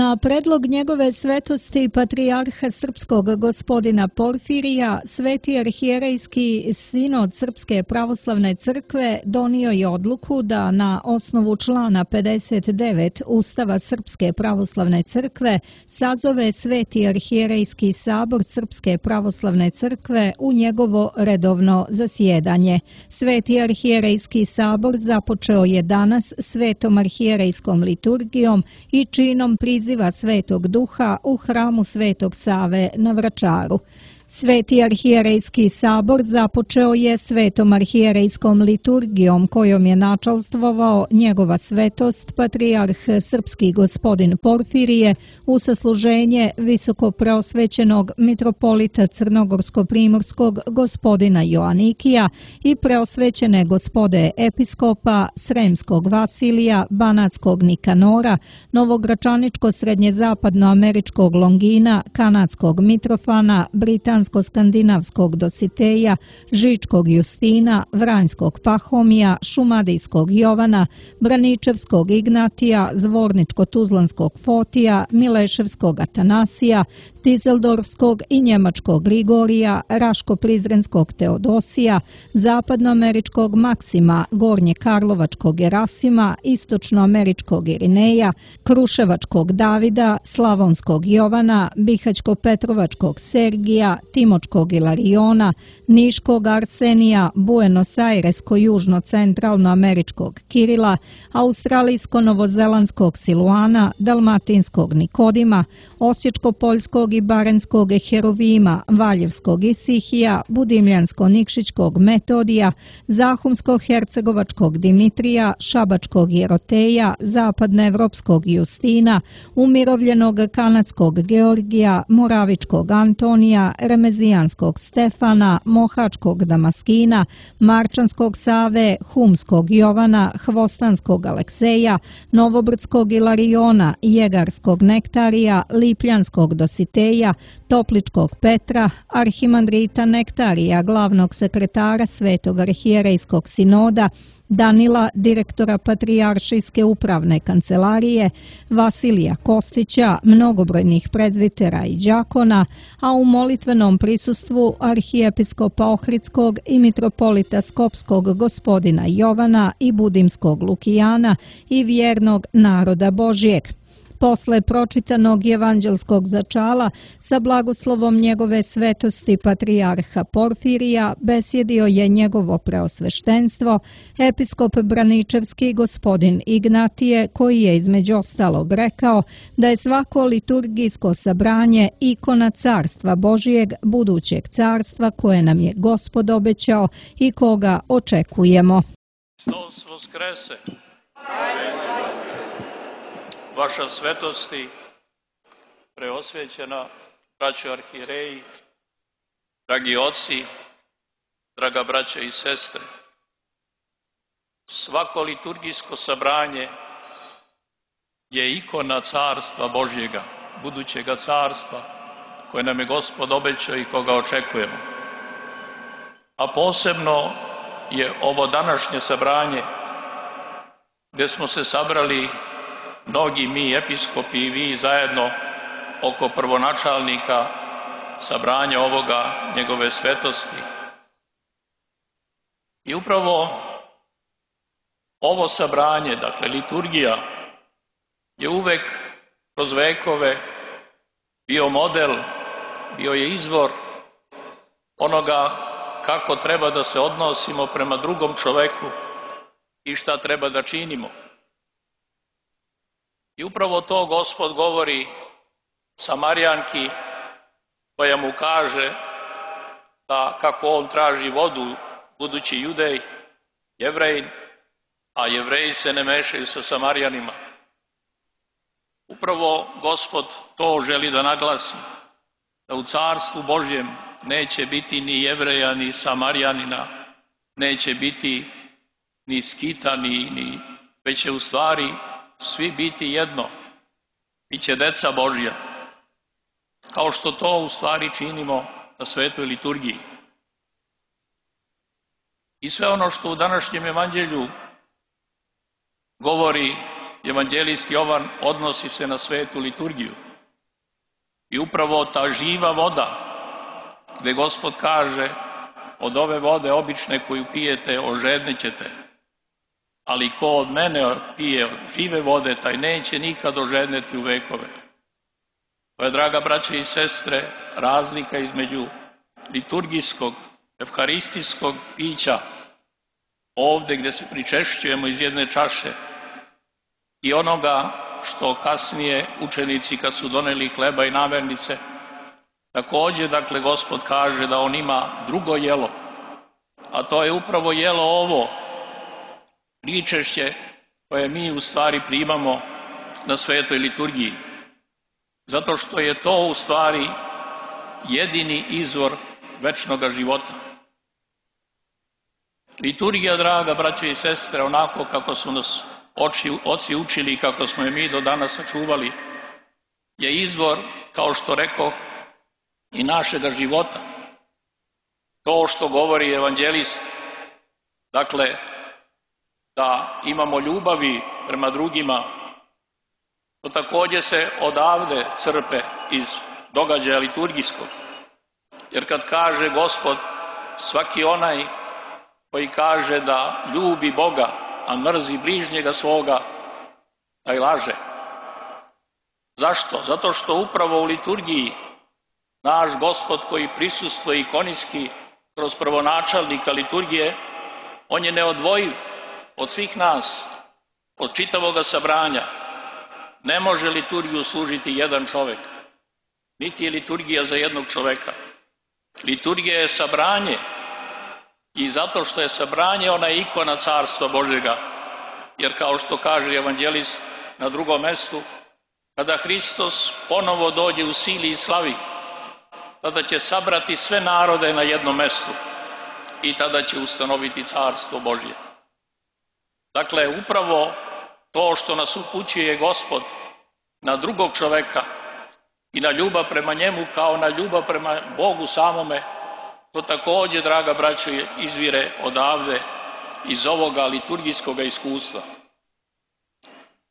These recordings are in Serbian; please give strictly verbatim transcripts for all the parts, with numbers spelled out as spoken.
Na predlog njegove svetosti patrijarha srpskog gospodina Porfirija, Sveti arhijerejski sinod Srpske pravoslavne crkve donio je odluku da na osnovu člana pedeset devet Ustava Srpske pravoslavne crkve sazove Sveti arhijerejski sabor Srpske pravoslavne crkve u njegovo redovno zasjedanje. Sveti arhijerejski sabor započeo je danas svetom arhijerejskom liturgijom i činom priziva Svetog Duha u hramu Svetog Save na Vračaru. Sveti arhijerejski sabor započeo je svetom arhijerejskom liturgijom kojom je načalstvovao njegova svetost patrijarh srpski gospodin Porfirije u sasluženje visokopreosvećenog mitropolita crnogorsko-primorskog gospodina Joanikija i preosvećene gospode episkopa Sremskog Vasilija, Banatskog Nikanora, Novogračaničko-srednjezapadnoameričkog Longina, Kanadskog Mitrofana, Britanskog skandinavskog Dositeja, Žičkog Justina, Vranjskog Pahomija, Šumadijskog Jovana, Braničevskog Ignatija, Zvorničko-tuzlanskog Fotija, Mileševskog Atanasija, Dizeldorfskog i Njemačkog Grigorija, Raško-prizrenskog Teodosija, Zapadnoameričkog Maksima, Gornje-karlovačkog Gerasima, Istočnoameričkog Irineja, Kruševačkog Davida, Slavonskog Jovana, Bihać-Petrovačkog Sergija, Timočkog Ilariona, Niškog Arsenija, Buenos Airesko-južno-centralnoameričkog Kirila, Australijsko-novozelandskog Siluana, Dalmatinskog Nikodima, Osječko-poljskog i barenskog Herovima, Valjevskog Isihija, Budimljansko-nikšićkog Metodija, Zahumsko-hercegovačkog Dimitrija, Šabačkog Jeroteja, Zapadnoevropskog Justina, umirovljenog kanadskog Georgija, Moravičkog Antonija, Remezijanskog Stefana, Mohačkog Damaskina, Marčanskog Save, Humskog Jovana, Hvostanskog Alekseja, Novobrdskog Ilariona, Jegarskog Nektarija, Lipljanskog Dositeja, Topličkog Petra, arhimandrita Nektarija, glavnog sekretara Svetog arhijerejskog sinoda, Danila, direktora Patrijaršijske upravne kancelarije, Vasilija Kostića, mnogobrojnih prezvitera i đakona, a u molitvenom prisustvu arhijepiskopa Ohridskog i mitropolita Skopskog gospodina Jovana i Budimskog Lukijana i vjernog naroda Božijeg. Posle pročitanog evanđelskog začala sa blagoslovom njegove svetosti patrijarha Porfirija besjedio je njegovo preosveštenstvo, episkop Braničevski gospodin Ignatije, koji je između ostalog rekao da je svako liturgijsko sabranje ikona carstva Božijeg, budućeg carstva koje nam je Gospod obećao i koga očekujemo. Hristos voskrese! Vaša svetosti, preosvećena braćo arhijereji, dragi oci, draga braća i sestre, svako liturgijsko sabranje je ikona carstva Božjega, budućega carstva koje nam je Gospod obećao i koga očekujemo. A posebno je ovo današnje sabranje gdje smo se sabrali mnogi mi episkopi i vi zajedno oko prvonačalnika sabranja ovoga njegove svetosti. I upravo ovo sabranje, dakle liturgija, je uvek kroz vekove bio model, bio je izvor onoga kako treba da se odnosimo prema drugom čoveku i šta treba da činimo. I upravo to Gospod govori Samarijanki koja mu kaže da kako on traži vodu, budući Judej, Jevrejin, a Jevreji se ne mešaju sa Samarijanima. Upravo Gospod to želi da naglasi, da u carstvu Božjem neće biti ni Jevreja, ni Samarijanina, neće biti ni Skita, ni, ni, već će u stvari svi biti jedno, biće deca Božja, kao što to u stvari činimo na svetoj liturgiji. I sve ono što u današnjem evanđelju govori evanđelist Jovan odnosi se na svetu liturgiju. I upravo ta živa voda, gdje Gospod kaže, od ove vode obične koju pijete ožednećete, ali ko od mene pije žive vode, taj neće nikad ožedneti u vekove. To je, draga braće i sestre, razlika između liturgijskog, evharistijskog pića, ovdje gdje se pričešćujemo iz jedne čaše, i onoga što kasnije učenici kad su doneli hleba i namirnice, također, dakle, Gospod kaže da on ima drugo jelo, a to je upravo jelo ovo, pričešće koje mi u stvari primamo na svetoj liturgiji. Zato što je to u stvari jedini izvor večnog života. Liturgija, draga braće i sestre, onako kako su nas oči, oci učili i kako smo je mi do danas sačuvali, je izvor, kao što rekoh, i našega života. To što govori evanđelist, dakle, da imamo ljubavi prema drugima, to također se odavde crpe iz događaja liturgijskog. Jer kad kaže Gospod, svaki onaj koji kaže da ljubi Boga, a mrzi bližnjega svoga, taj laže. Zašto? Zato što upravo u liturgiji naš Gospod koji prisustvuje ikonijski kroz prvonačelnika liturgije, on je neodvojiv od svih nas, od čitavoga sabranja. Ne može liturgiju služiti jedan čovjek, niti je liturgija za jednog čovjeka. Liturgija je sabranje i zato što je sabranje, ona je ikona Carstva Božjega. Jer kao što kaže evanđelist na drugom mjestu, kada Hristos ponovo dođe u sili i slavi, tada će sabrati sve narode na jednom mjestu i tada će ustanoviti Carstvo Božje. Dakle, upravo to što nas upućuje Gospod na drugog čovjeka i na ljubav prema njemu kao na ljubav prema Bogu samome, to također, draga braćo, izvire odavde iz ovoga liturgijskog iskustva.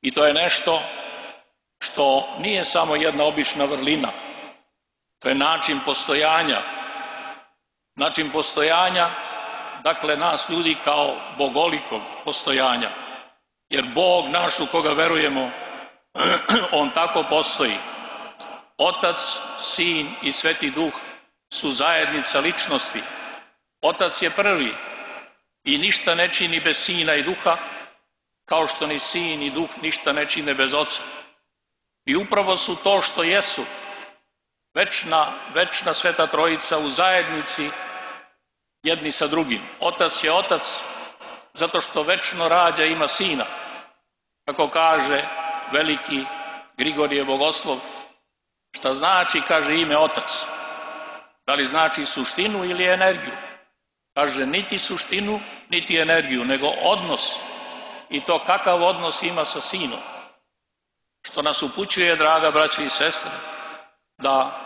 I to je nešto što nije samo jedna obična vrlina, to je način postojanja. Način postojanja, dakle, nas ljudi kao bogolikog postojanja. Jer Bog naš u koga verujemo, on tako postoji. Otac, Sin i Sveti Duh su zajednica ličnosti. Otac je prvi i ništa ne čini bez Sina i Duha, kao što ni Sin i Duh ništa ne čine bez Oca. I upravo su to što jesu, večna, večna Sveta Trojica u zajednici jedni sa drugim. Otac je Otac zato što večno rađa, ima Sina. Kako kaže veliki Grigorije Bogoslov, šta znači, kaže, ime Otac? Da li znači suštinu ili energiju? Kaže, niti suštinu, niti energiju, nego odnos. I to kakav odnos ima sa Sinom. Što nas upućuje, draga braćo i sestre, da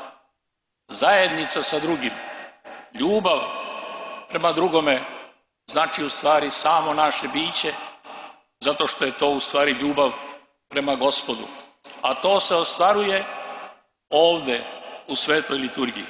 zajednica sa drugim, ljubav prema drugome, znači u stvari samo naše biće, zato što je to u stvari ljubav prema Gospodu. A to se ostvaruje ovdje u svetoj liturgiji.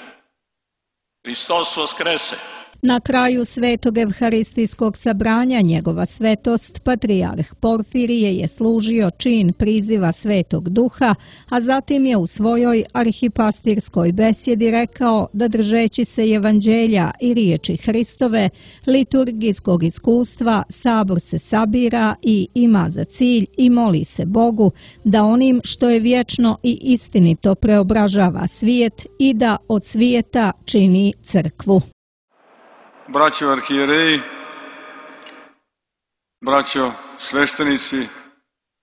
Hristos vaskrese. Na kraju svetog evharistijskog sabranja njegova svetost, patrijarh Porfirije, je služio čin priziva Svetog Duha, a zatim je u svojoj arhipastirskoj besjedi rekao da, držeći se evanđelja i riječi Hristove, liturgijskog iskustva, sabor se sabira i ima za cilj i moli se Bogu da onim što je vječno i istinito preobražava svijet i da od svijeta čini crkvu. Braćo arhijereji, braćo sveštenici,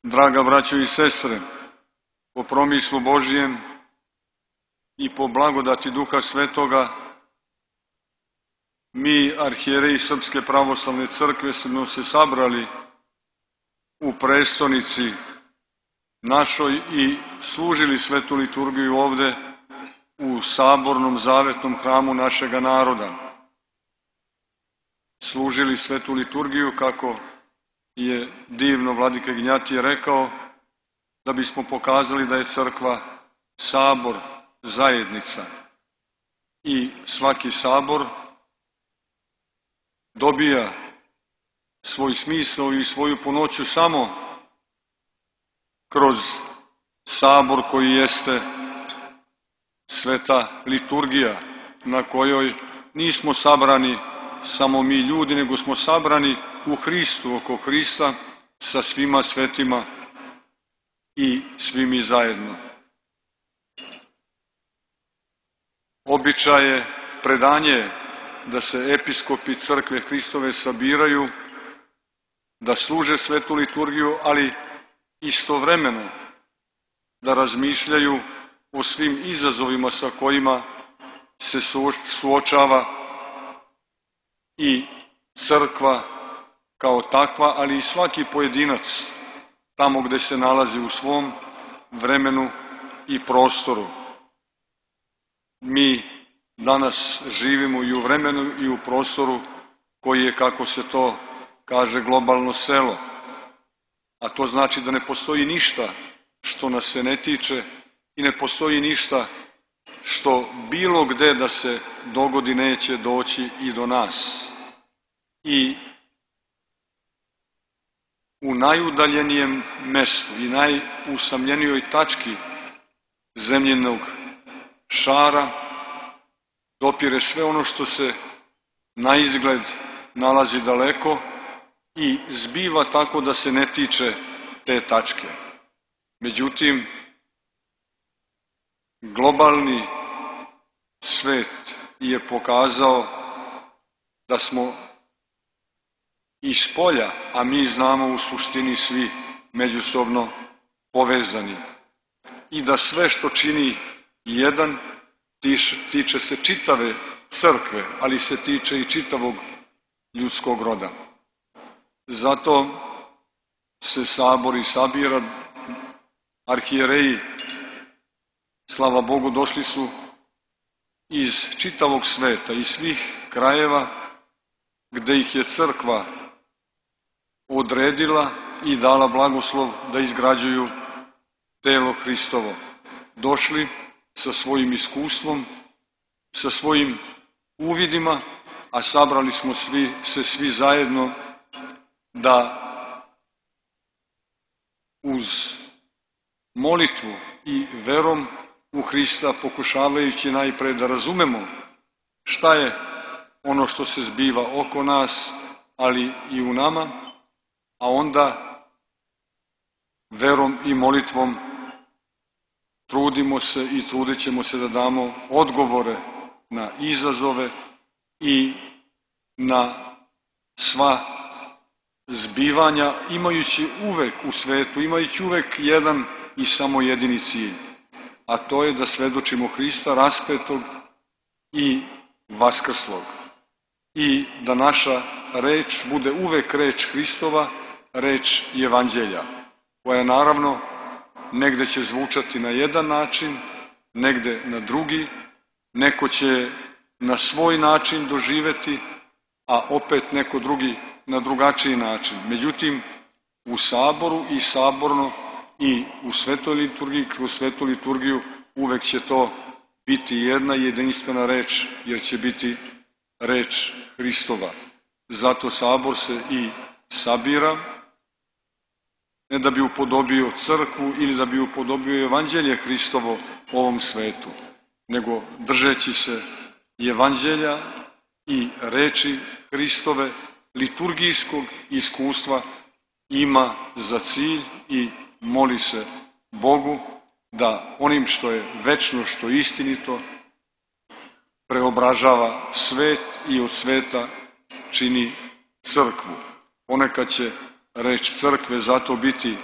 draga braćo i sestre, po promislu Božjem i po blagodati Duha Svetoga, mi, arhijereji Srpske pravoslavne crkve, smo se sabrali u prestonici našoj i služili svetu liturgiju ovde u sabornom zavetnom hramu našega naroda. Služili svetu liturgiju, kako je divno vladika Ignjatije rekao, da bismo pokazali da je crkva sabor, zajednica. I svaki sabor dobija svoj smisao i svoju punoću samo kroz sabor koji jeste sveta liturgija, na kojoj nismo sabrani samo mi ljudi, nego smo sabrani u Hristu, oko Hrista, sa svima svetima i svi mi zajedno. Običaj je, predanje da se episkopi crkve Hristove sabiraju, da služe svetu liturgiju, ali istovremeno da razmišljaju o svim izazovima sa kojima se suočava i crkva kao takva, ali i svaki pojedinac tamo gde se nalazi u svom vremenu i prostoru. Mi danas živimo i u vremenu i u prostoru koji je, kako se to kaže, globalno selo. A to znači da ne postoji ništa što nas se ne tiče i ne postoji ništa što bilo gde da se dogodi neće doći i do nas. I u najudaljenijem mestu i najusamljenijoj tački zemljenog šara dopire sve ono što se na izgled nalazi daleko i zbiva tako da se ne tiče te tačke. Međutim, globalni svet je pokazao da smo iz polja, a mi znamo u suštini svi međusobno povezani, i da sve što čini jedan tiče se čitave crkve, ali se tiče i čitavog ljudskog roda. Zato se sabor i sabira, arhijereji, slava Bogu, došli su iz čitavog sveta, iz svih krajeva gde ih je crkva odredila i dala blagoslov da izgrađuju telo Hristovo. Došli sa svojim iskustvom, sa svojim uvidima, a sabrali smo svi, se svi zajedno da uz molitvu i verom u Hrista, pokušavajući najpre da razumemo šta je ono što se zbiva oko nas, ali i u nama, a onda verom i molitvom trudimo se i trudit ćemo se da damo odgovore na izazove i na sva zbivanja, imajući uvek u svetu, imajući uvek jedan i samo jedini cilj, a to je da svedočimo Hrista raspetog i vaskrslog i da naša reč bude uvek reč Hristova, reč Evanđelja, koja naravno negde će zvučati na jedan način, negde na drugi, neko će na svoj način doživeti, a opet neko drugi na drugačiji način. Međutim, u saboru i saborno i u svetoj liturgiji, kroz svetu liturgiju, uvek će to biti jedna jedinstvena reč, jer će biti reč Hristova. Zato sabor se i sabira, ne da bi upodobio crkvu ili da bi upodobio Evanđelje Hristovo ovom svetu, nego držeći se Evanđelja i reči Hristove, liturgijskog iskustva, ima za cilj i moli se Bogu da onim što je večno, što je istinito, preobražava svet i od sveta čini crkvu. Ponekad će reč crkve zato biti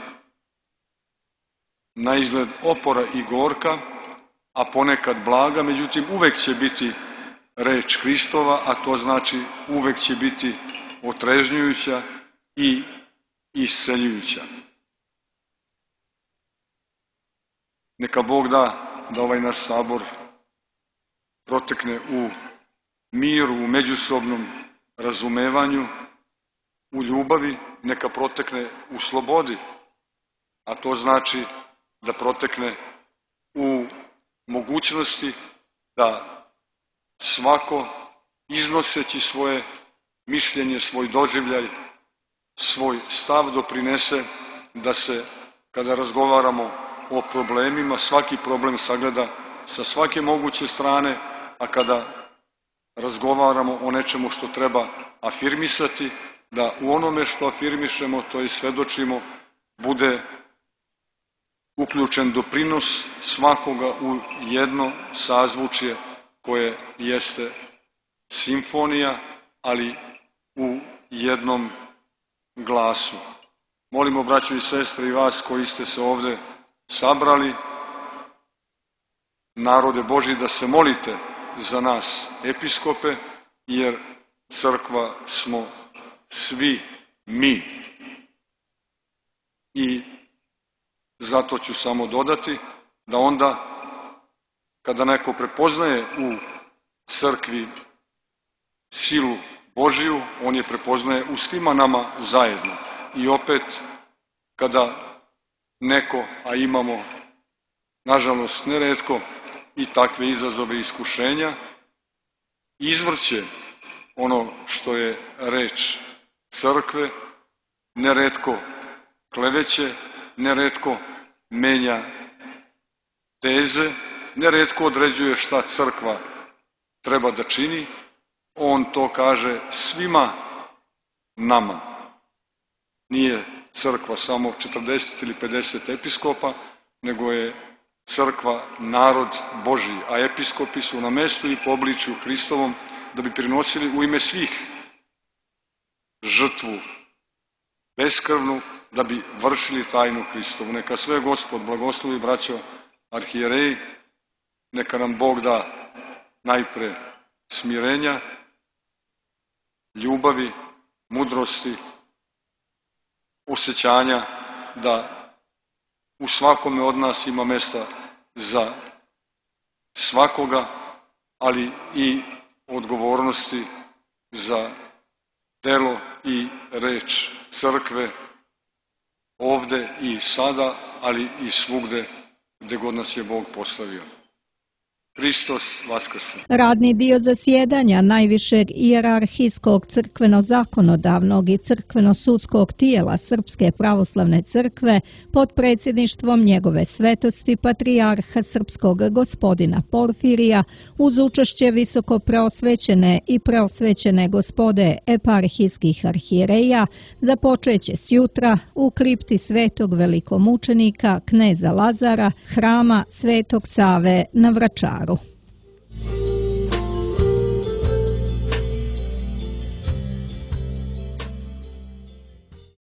na izgled opora i gorka, a ponekad blaga, međutim uvek će biti reč Hristova, a to znači uvek će biti otrežnjujuća i isceljujuća. Neka Bog da da ovaj naš sabor protekne u miru, u međusobnom razumevanju, u ljubavi, neka protekne u slobodi, a to znači da protekne u mogućnosti da svako iznoseći svoje mišljenje, svoj doživljaj, svoj stav doprinese da se, kada razgovaramo o problemima, svaki problem sagleda sa svake moguće strane, a kada razgovaramo o nečemu što treba afirmisati, da u onome što afirmišemo, to i svedočimo, bude uključen doprinos svakoga u jedno sazvučje koje jeste simfonija, ali u jednom glasu. Molimo, braćo i sestre, i vas koji ste se ovde sabrali, narode Božji, da se molite za nas, episkope, jer crkva smo svi mi. I zato ću samo dodati da onda, kada neko prepoznaje u crkvi silu Božiju, on je prepoznaje u svima nama zajedno. I opet, kada neko, a imamo, nažalost, neretko i takve izazove i iskušenja, izvrće ono što je reč crkve, neretko kleveće, neretko menja teze, neretko određuje šta crkva treba da čini, on to kaže svima nama. Nije crkva samo četrdeset ili pedeset episkopa, nego je crkva narod Božji, a episkopi su na mestu i po obličju Hristovom da bi prinosili u ime svih žrtvu beskrvnu, da bi vršili tajnu Hristovu. Neka sve Gospod blagoslovi, braćo arhijereji, neka nam Bog da najpre smirenja, ljubavi, mudrosti, osjećanja da u svakome od nas ima mesta za svakoga, ali i odgovornosti za delo i reč crkve ovde i sada, ali i svugde gde god nas je Bog postavio. Hristos vaskrse. Radni dio zasjedanja najvišeg ijerarhijskog crkveno-zakonodavnog i crkveno-sudskog tijela Srpske pravoslavne crkve pod predsjedništvom njegove svetosti patrijarha srpskog gospodina Porfirija uz učešće visoko preosvećene i preosvećene gospode eparhijskih arhijereja započeće sjutra u kripti svetog velikomučenika kneza Lazara, hrama Svetog Save na Vračaru.